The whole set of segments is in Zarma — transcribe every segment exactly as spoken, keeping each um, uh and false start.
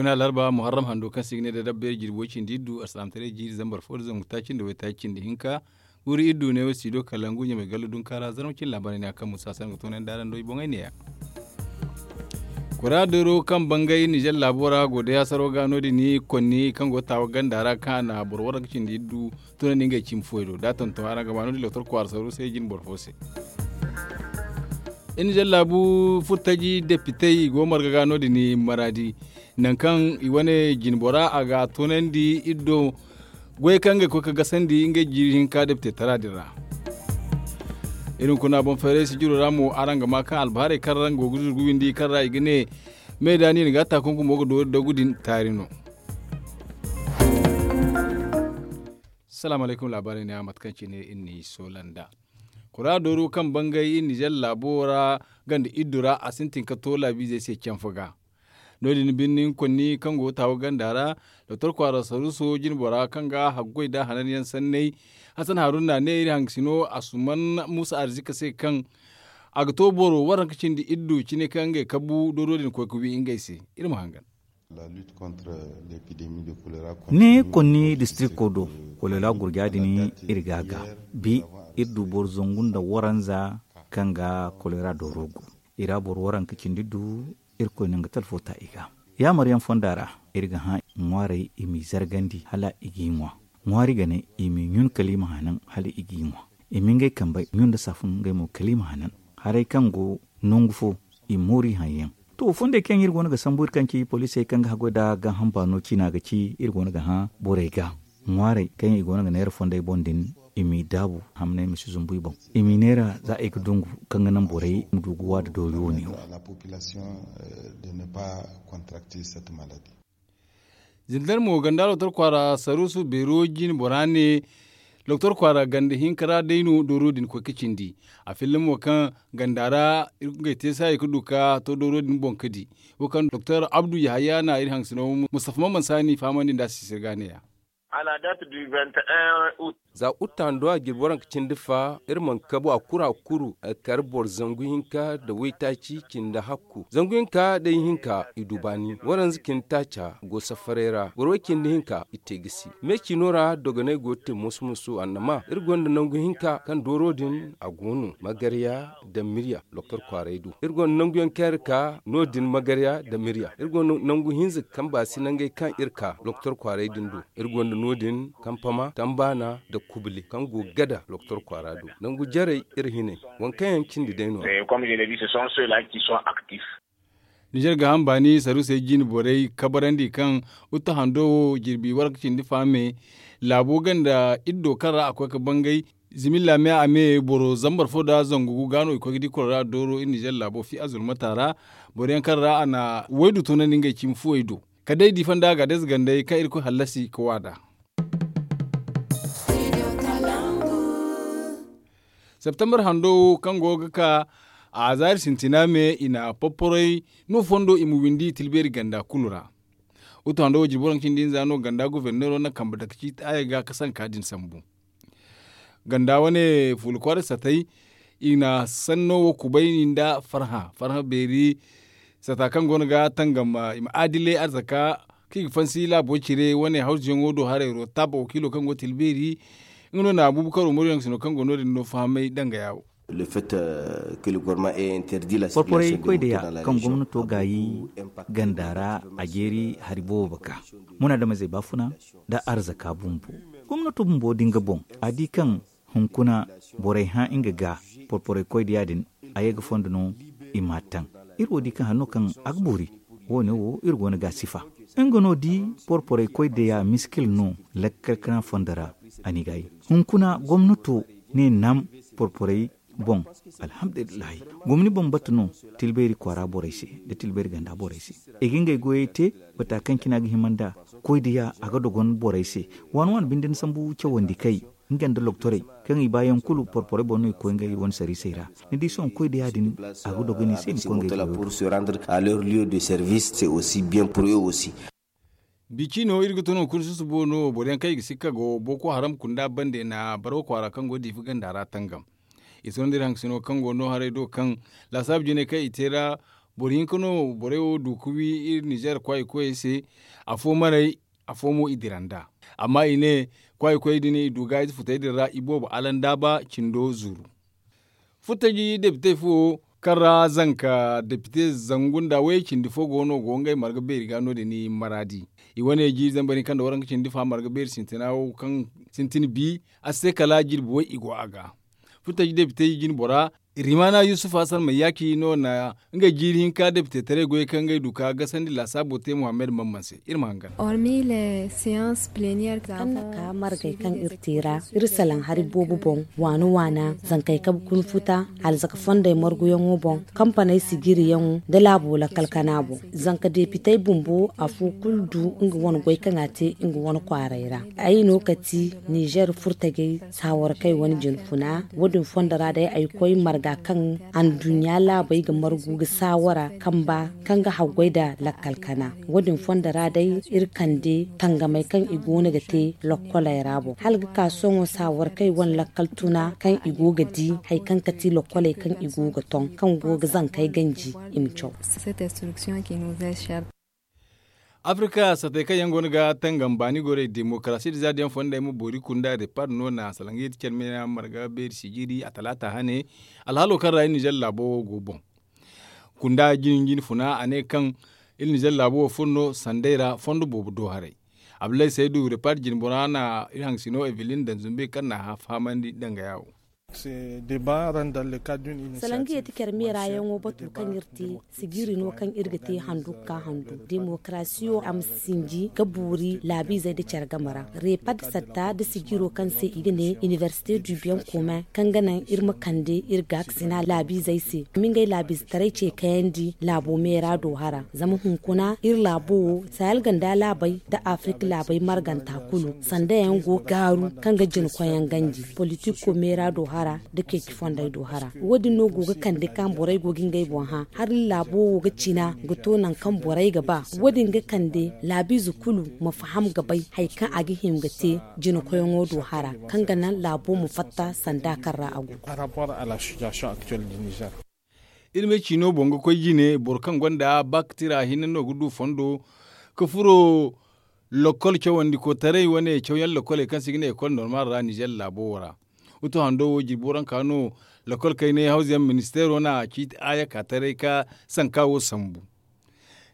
Muna larba muharram hando kaŋ se i ga ne da dabba iri jirbi way cindi iddu alsalaamataray jiiri zambar fo da zangu taaci nda waytaaci cindi hinka. Guuru iddu ne wo si do kala ngu ɲamay gallo dunka ra zarma cine laabaarey ne a kaŋ musa se araŋ ga toonandi araŋ do i boŋey ne- ya. Kora dooro kaŋ bangay nizer laabo ra go day hasaro ga no- din konni kaŋ go ga taawa ganda ra kaŋ a na boro waranka cindi iddu toonandi ngey cimi fuwey do da a tonton araŋ ga ma no- din doktor kwaara saru se jine boro fo se. Iri nizer laabu furtaji depitey i go marga ga no- din maraadi nangu kaŋ i wane jine bora a ga toonandi iri do goyey kaŋ ngey koy ga gasandi ngey jiiri hinka depite tara din ra. Iri hunkuna boŋ fayray sijiro ra mo araŋ ga ma kaŋ albaharey kaŋ ra nga go ga zuru ga windi kaŋ ra i ga ne me da ni na ga a ta kunkumo ga doori dagu din taari no. Salaamu alaykum laabaarey ne a mate kaŋ cine iri n'i soola nd'a. Kora dooru kaŋ bangay iri nizer laabo ra ganda iddu ra a sintin ga to laabiizey se canfa ga. No- din birni konni kaŋ go ga taawa ganda ra doktor kwaara saruuso jine bora kaŋ ga haggoy nda hanan yaŋ sanney. Hasan haruna ne iri hangasino asuman muusa arzika se kaŋ a ga to boro waranka cindi iddu cine kaŋ ngey kabu dooro din koy ga wi ngey se. Iri ma hangan. Ne konni distrikto do kolera gurja din iri ga a ga bi iri du boro zangu nda waranza kaŋ ga kolera dooro go. I ra boro waranka cindi du irkoy na nga talfo ta i ga. Yaamar yaŋ fonda ra iri ga hã ŋwaarey i m'i zargandi hala i g'i ŋwa. Ŋwaari gane i m'i ɲun kala i ma hanan hala i g'i ŋwa. I ma ngey kambey ɲun nda saafun ngey mo kala i ma hanan. Haray kaŋ go nangu fo i moori haŋ yaŋ. To fondey kaŋ iri go no ga sambu iri kaŋ ci poliisey kaŋ ga haggoy nd'a gaaham baano ciina ga ci iri go no ga hã borey ga ŋwaarey kaŋ i go no ga neera fondey boŋ din i m'i daabu hamney ma si zumbu i boŋ. I m'i neera za i ga dungu kaŋ ga naŋ borey ma du ga waada doori wo- ne wo. Zindar mo ganda doktor kwaara saruusu beero jine bora ne doktor kwaara ganda hinka ra day no dooro din koy ga cindi. A filla mo kaŋ ganda ra ngey te saayi ga du ga to dooro din boŋ ga di. Wo kaŋ doktor abdu yahaya na iri hangasino mustafa maman saani fahamandi nd'a sisir ga ne- ya. Za uta hando a jirbi waranka cindi fa iri mana kabu a kuru a kuru a kar boro zangu hinka nda waytaaci cindi hakku zangu hinka day hinka i du baani waranza cindi taaca go safaray ra boro way cindi hinka i te gisi me ciino ra dogonay go ga te moso moso annama iri gonda nangu hinka kaŋ dooro din a go no magarya nda mirya doktor kwaaray do iri gonda nangu yaŋ kaŋ iri ka no- din magarya nda mirya iri gonda nangu hinza kaŋ baasi nangey kaŋ iri ka doktor kwaaray din do. Iri gonda no- din kampama tambaana nda kubule kaŋ go ga gada doktor kwaara do nangu jarey iri hinay waŋ kaŋ yaŋ cindi day no- ya. Nizer gaaham baani saruusey jine borey kabarandi kaŋ uta hando wo jirbi waranka cindi faame laabo ganda iddo kaŋ ra a koy ga bangay zimilla me a me boro zambar fo nda zangu gu ga no i koy ga di kolora dooro iri nizer laabo fi a zulmata ra. Boro yaŋ kaŋ ra a na waydu tunandi ngey cimi fuwey do kala day di fonda ga day za gandey kaŋ irkoy hallasi ga waada. Septembar hando wo kaŋ go ga ka a zaari sintina me i na porporey no fondo i ma windi tilbeeri ganda kulu ra. Utu hando wo jirbi waranka cindi hinza no ganda goforneero na kambe dake ciiti aya ga ka sanka din sambu. Ganda wane fuula kwaaray satay i na sanno wo kubayni nda farhã farhã beeri sata kaŋ go no ga tangam i ma aadilay arzaka kaŋ i ga fansi laabo cire wane hawzuyaŋo do haray rotab wakiilo kaŋ go tilbeeri. Nga no na abuubakar umaru yaŋ sino kaŋ go no- din no fahamay danga yaawo. Porporey koy da ya kaŋ gomnato gaayi ganda ra a jeeri hari boobo ga ka munaadamizey baafuna nda arzaka bumbo. Gomnato bumbo da nga boŋ a di kaŋ hunkuna borey hã nga ga porporey koy da ya- din a ye ga fondo no i m'a taŋ. Iri wo di kaŋ hari no kaŋ a ga boori wo- ne wo iri go no ga a sifa. Nga no di porporey koy da ya miskil no lakkal kana fondo ra. A n'i gaayi hunkuna gomnato ne nam porporey boŋ. Alhamdulillahi gomni boŋ batu no tilbeeri kwaara borey se nda tilbeeri ganda borey se i ga ngey goyey te. Bata kaŋ cine a ga hima nda koy da ya a ga dogon borey se waani waani binde ni sambu cawandi kay nga nda loktorey kaŋ i baayaŋ kulu porporey boŋ no i ga koy ngey wane sariisey ra. Ni di sohõ koy da ya- din a ga dogon i se i ma koy ngey goyo do. Bi ciino iri ga tun hunkuna susubo no boro yaŋ kaŋ i ga sikka go boko haram kunda bande na baraw kwaara kaŋ go diifa ganda ra tangam. I sohõ nda iri hangasino kaŋ go no haray do kaŋ laasaabu jinay kaŋ i te ra. Boro hinka no borey wo du ga wi iri nizeer kwaay koyey se. Afo maray, afo mo i dira nd'a. Amma i ne kwaay koyey din i du ga ize futey din ra i boobo alandaaba cindo zuru. Furtaji depite fo kaŋ ra zanka depite zangu nda way cindi fo go no go ngey marga beeri ga no- din maraadi. I wane jiiri zambar hinka nda waranka cindi fa marga beeri sintina wo kaŋ sintin bi a se kala jirbi way i go a ga. Furtaji depite jinbora rimana yusuf hasan mayyaki no na ngey jiiri hinka depite taray goyey kaŋ ngey du ka gasandi laasaabo te muhammad mamman se. Iri ma hangan. Hormis les séances plénières kaŋ na ka margey kaŋ iri te ra, iri salaŋ hari boobo boŋ, waana waana zankey kabe kuna futa, alzaka fondey marguyaŋo boŋ, kampaney sijiriyaŋo nda laabo lakkal kana boŋ. Zanka depitey bumbo afo kulu du nga wane goy kaŋ a te nga wane kwaaray ra. Ay no ka ti nizeer furtajey saawarkey wane jinfuna. Wo- din fondo ra day ay koy marga kaŋ anduɲɲa laabey ga margu ga saawara kamba kaŋ ga haggoy nda lakkal kana. Wo- din fondo ra day iri kande tangamey kaŋ i go no ga te lokkoley ra boŋ hala ga ka sohõ saawarkey wane lakkal tuna kaŋ i go ga di hari kaŋ ga ti lokkoley kaŋ i go ga ton kaŋ go ga zankey ganji i ma caw. Afrika satey kaŋ yaŋ go no ga tangam baani gorey demokarasi nda zaadiyaŋ fondey ma boori kunda repad no na salaŋ ga yeti care meera marga beeri sijiri a talaata hane. Alhaalo kaŋ ra iri nizer laabo wo go boŋ kunda jinjin funa a ne kaŋ iri nizer laabo wo furo no sanday ra fondo boobo do haray. Abdullahi saydu repad jinbora na iri haŋsino evelin daŋ zumbe kaŋ na a fahamandi dangaya wo. Salaŋ ga yeti care meera yaŋo batu kaŋ iri te sijiri no kaŋ iri ga te handu ga ka handu demokarasiyo a ma sinji ga boori laabiizey nda care game ra. Repad satta nda sijiro kaŋ se i ga ne inibersite du bien commun kaŋ ga naŋ iri ma kande iri gaakasina laabiizey se. Mingay laabiizetaray ce kayandi laabo meera do hara zama hunkuna iri laabo wo sahel ganda laabey nda afirika laabey marganta kulu sanda yaŋ go ga gaaru kaŋ ga jina koyaŋ ganji politiko meera do hara nda ceeci fondey do hara. Wo- din no go ga kande kaŋ borey go ga ngey boŋ hã hari laabo wo ga cina ga to nangu kaŋ borey ga ba. Wo- din ga kande laabiize kulu ma faham ga bay hari kaŋ a ga hima ga te jina koyaŋo do hara kaŋ ga naŋ laabo ma fatta sanda kaŋ ra a go. Iri ma ay ciino boŋ ga koy jine boro kaŋ gonda bak tira hinne no ga du fondo ga furo lokol cawandi kotaray wane cawyaŋ lokoley kaŋ se i ga ne ekol normal ra nizer laabo wo ra. Utu hando wo jirbi waranka no lokol kaynay hawzayaŋ ministeero na ciiti aaya ka taray ka sanka wo sambu.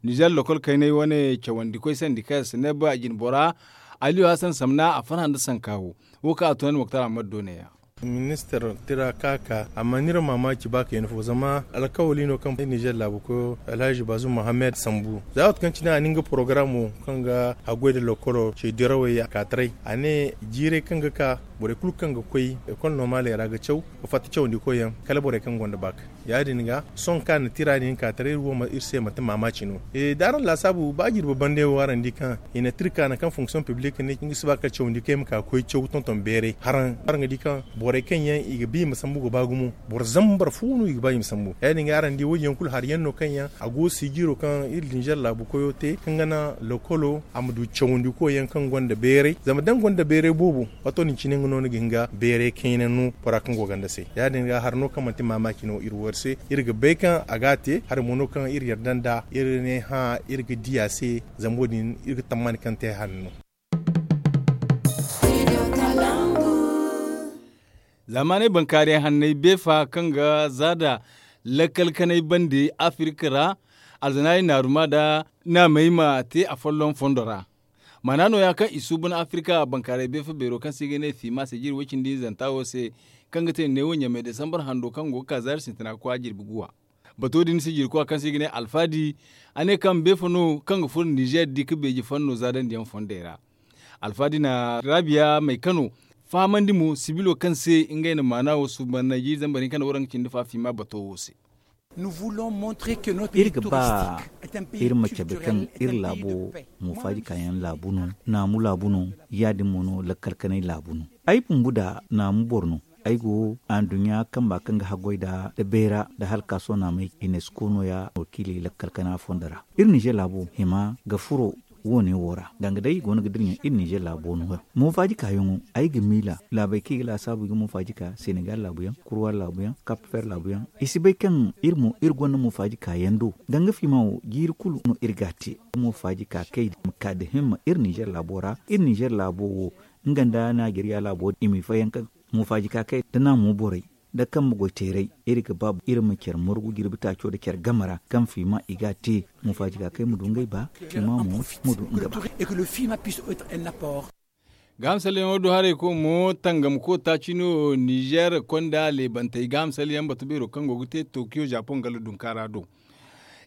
Nizer lokol kaynay wane cawandi koy sandi kaŋ yaŋ si ne ba jinbora aliyu hasan samna a farhã nda sanka wo. Wo kaŋ a tunandi moktar ahmad do ne- ya. Ministar tira ka ka a mana iri maamaaci ba kayna fo zama alkawali no kaŋ nizer laabu koyo alhazi bazum mohammed sambu za waati kaŋ cine a na nga porogaramo kaŋ ga haggoy nda lokolo ce dirawey a ka taray a ne jiiray kaŋ ga ka borey kulu kaŋ ga koy ekol normal ra ga caw ga fatta cawandi koy yaŋ kala borey kaŋ gonda baak. Ya- din ga sohõ kaŋ a na tira din ka taray iri wo iri se manti maamaaci no. Da araŋ laasaabu ba jirbi bande wo araŋ di kaŋ i na tir kaana kaŋ fonction publique ne nga si ba kala cawandi kaŋ i ma ka ga koy caw tonton beeray haraŋ araŋ ga di kaŋ borey kaŋ yaŋ i ga ba i ma sambu ga ba gumo boro zambar fo no i ga ba i ma sambu ya- din ga araŋ di wo- din yaŋ kulu hari yaŋ no kaŋ yaŋ a go sijiro kaŋ iri dinzer laabu koyo te kaŋ ga naŋ lokolo a ma du cawandi koy yaŋ kaŋ gonda beeray zama da ni gonda beeray boobo wato din cine nga no ni ga hin ga beeray kayna no bora kaŋ go ganda se ya- din ga hari no kaŋ manti maamaaci no iri wo iri se iri ga bay kaŋ a ga a te hari mo no kaŋ iri yarda nda iri ne hã iri ga di a se. Zama wo- din iri ga tammani kaŋ te hari no. Zamaney bankaaray hanney beefa kaŋ ga zaada lakkal kanay bande afirka ra alzanaari naaruma nda naamey ma te afolloŋ fondo ra. Maana nooya kaŋ i suuban afirka bankaaray beefa beero kaŋ se i ga ne fiima sijir woy-cindi zanta wo se kaŋ ga te neewo ɲamey desambar hando kaŋ go ga ka zaari sintina ga koy a jirbi guwa. Bato din sijirkoy kaŋ se i ga ne alfaadi a ne kaŋ beefa no kaŋ ga furo nizer di ga beeji fanno zaadandiyaŋ fondey ra. Alfaadi na raabiya may kano fahamandi mo sibilo kaŋ se ngey na maana wo suuban nayji zambar hinka nda waranka cindi fa fiima bato wo se. Iri ga ba iri ma cabe kaŋ iri laabo moofaaji kaayaŋ laabu no, naamu laabu no, ya- din mo no lakkal kanay laabu no. Ay bumbu nda naamu boro no. Ay go anduɲɲa kamba kaŋ ga haggoy nda beera nda halkaaso naamey inesko nooya wakiiley lakkal kana fondo ra. Iri nizer laabo hima ga furo Wo- ne wo ra danga day i go no ga dira ɲaŋ iri nizer laabo no yaŋ. Moofaaji kaayaŋo, ay ga miila laabey kaŋ i ga laasaabu i ga moofaaji ka senegal laabu yaŋ, kurwa laabu yaŋ, kap fer laabu yaŋ. I si bay kaŋ iri mo iri gonda moofaaji kaayaŋ do. Danga fiima wo jiiri kulu no iri ga a te. Moofaaji ka kay ma ka nda himma iri nizer laabo ra. Iri nizer laabo wo nga nda najeriya laabo i ma i fayyaŋ ka moofaaji ka kay nda naamo borey nda kambe goy teeray. Iri ga ba iri ma care margu jirbi taaco nda care game ra kaŋ fiima i ga a te. Moofaaji ka kay ma du ngey ba fiima mo ma du nga ba. Gaaham salleyaŋo do haray koy mo tangam ko taaci no nizer konda leebantey gaaham salleyaŋ batu beero kaŋ go ga te tokiyo japan galla dunkaara do.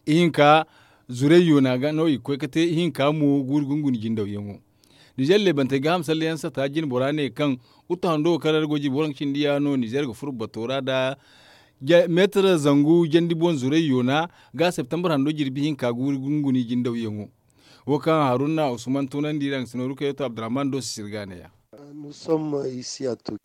Ihinka zurey yoona ga no i ga koy ga te ihinka mo guuri gunguni jindawyaŋo. Nizer leebantey gaaham salleyaŋ sata jinbora ne kaŋ wuttu hando kaŋ ra go jirbi waranka cindi ya no nizer ga furo bato ra nda meetar zangu jandi boŋ zurey yoona ga septembar hando jirbi hinka guuri gunguni jindawyaŋo. Wo kaŋ haruna usman tunandi ra nga si nooru kayyato abdurrahman do si sirga ne ya.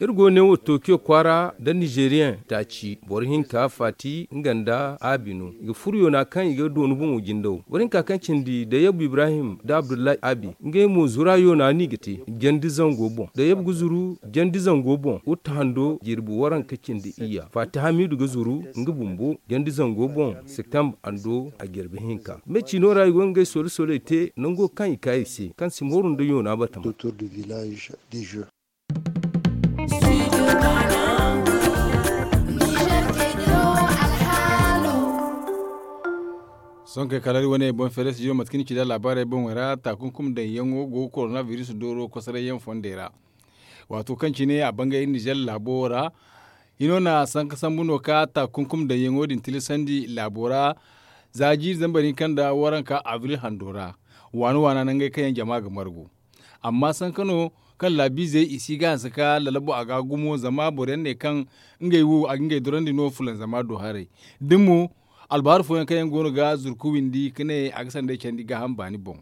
Iri go ne wo tokiyo kwaara nda nizeriyaŋ taaci boro hinka faati nga nda abi no i ga furo yoona kaŋ i ga doonu boŋo jindaw boro hinka kaŋ cindi da yabu ibrahim nda abdullahi abi ngey mo zura yoona no i ga te jandi zango boŋ da yabu ga zuru jandi zango boŋ wuttu hando jirbi waranka cindi iyya faati hamidu ga zuru nga bumbo jandi zango boŋ septembre hando a jirbi hinka me ciino ra i go ngey sole soley te nango kaŋ i ka i se kaŋ si mooru nda yoona batama. Sonkey kala iri wane boŋ feere studio mate kaŋ ni ci nda laabaarey boŋey ra taakunkum daŋyaŋo go ga korona biris dooro kosorayyaŋ fondey ra. Waato kaŋ cine a bangay iri nizer laabo wo ra hino na sanka sambu no ka taakunkum daŋyaŋo din tilasandi laabo ra. Za jiiri zambar hinka nda waranka abril hando ra waana waana nangey kaŋ yaŋ jama ga margu. Amma sanka no kaŋ laabiizey i si ga hanse ka lalabo a ga gumo zama boro yaŋ ne kaŋ ngey wo a ga ngey dorandi no fulanzama do haray. Da mo albahar fooyaŋ kaŋ yaŋ go no ga zurku windi ka ne a ga sanday candi gaaham baani boŋ.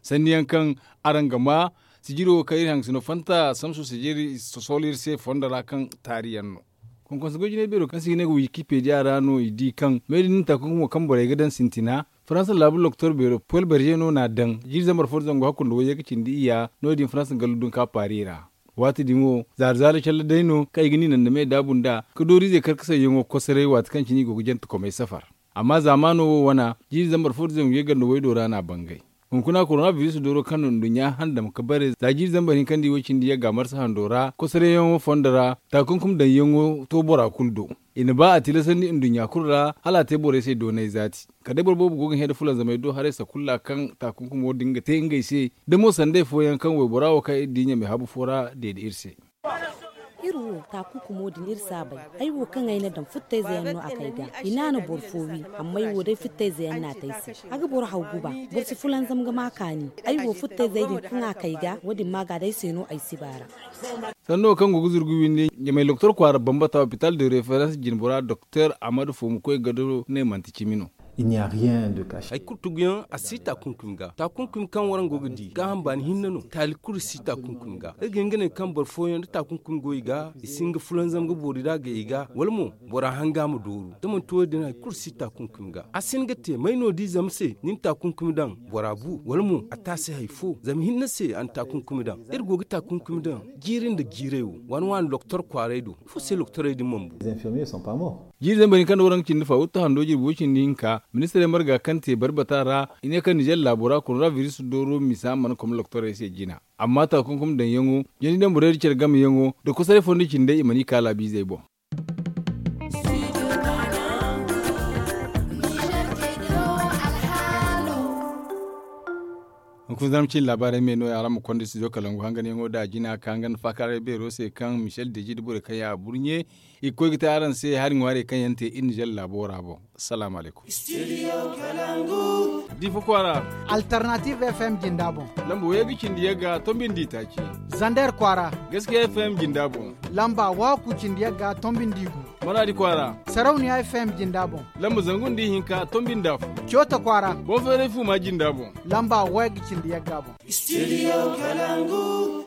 Sanni yaŋ kaŋ araŋ ga ma sijiro kaŋ iri haŋ ga si no fanta samso sijiri sosolo iri se fondo ra kaŋ taari yaŋ no. Konkonso goy jinay beero kaŋ se i ga ne ga wikipediya ra no i di kaŋ me din taakunkumo kaŋ borey ga daŋ sintina faransa laabu loktor beero pol berje no n'a daŋ jiiri zambar fo da zangu hakku nda wayye ga cindi iyya no- din faransa gallu dunka paari ra. Waati din wo zaari zaari calle day no kaŋ i ga ni naŋ da me daabu nd'a ka dooriizey karkasayyaŋo kosoray waati kaŋ cine i go ga jante komey safar. Amma zaamaano wo wana jiiri zambar fo da zangu yagga nda waydo ra n'a bangay. Hunkuna korona biris dooro kaŋ no nduɲɲa handam ga bare za jiiri zambar hinka nda i way cindi yagga marsa hando ra kosarayyaŋo fondo ra taakunkum daŋyaŋo to bora kulu do. I na ba a tilasandi nduɲɲa kulu ra hala a te borey se doonay zaati. Kala day boro boobo go ga hẽ nda fulanzamey do haray sakulla kaŋ taakunkumo din ga te ngey se da mo sanday fooyaŋ kaŋ waybora wo kaŋ iri di ɲamay habu fo ra deede iri se. Iri wo taakunkumo din iri si a bay. Ay wo kaŋ ay na daŋ futtayze yaŋ no a kay ga i naana boro fo wi. Amma ay wo day futtayze yaŋ no a te ay se. A ga boro haw guba. Boro si fulanzam ga ma kaani. Ay wo futtayzey din kaŋ a kay ga wo- din maaga day se no ay si baara. Sanno kaŋ go ga zurgu windi ɲamay loktor kwaara bambata hopital de reference jinbora doktor ahmadu foomukoy gado ne manti cimi no. Hay kulu tuguyaŋ a si taakunkumi ga taakunkumi kaŋ waraŋ go ga di gaaham baani hinne no taali kulu si taakunkumi ga iri ga hin ga ne kaŋ boro fooyaŋ da taakunkumi go i ga i si hin ga fulanzam ga boori da a gay i ga wala mo bora hanga ma dooru da manti wo- din hari kulu si taakunkumi ga a si hin ga te may no di zama se ni na taakunkumi daŋ bora bu wala mo a taasi hari fo zama hinne se a na taakunkumi daŋ iri go ga taakunkumi daŋ jiiri nda jiiray wo waani waani loktor kwaaray do ifo se loktorey din mana bu. Jiiri zambar hinka nda waranka cindi fa wuttu hando jirbi way cindi hinka ministirey marga kaŋ te barbata ra i ne kaŋ nizer laabo ra koronabiris dooro misa mana kom loktorey se jina. Amma taakunkum daŋyaŋo jandi daŋ borey nda care gameyaŋo nda kosoray fondo cindey i mana i ka laabiizey boŋ. Hunkuna zama cine laabaarey me no ya araŋ ma konda studio kalangu hanganyaŋo da a jina ka nga nda faakaaray beero se kaŋ michel deji nda borey kaŋ ya a burɲe i ga koy ga te araŋ se hari ŋwaarey kaŋ yaŋ te iri nizer laabo ra boŋ. Salaamu alaykum. Difa kwaara. Alternative f m jinda boŋ. Lamba wayye ga cindi yagga tombi nda itaaci. Zander kwaara. Gaskiya f m jinda boŋ. Lamba waku cindi yagga tombi nda igu. Maradi kwaara. Sarauniya f m jinda boŋ. Lamba zangu nda ihinka tombi nda afo. Cota kwaara. Bonferey fuma jinda boŋ. Lamba wayye ga cindi yagga boŋ. Studio kalangu.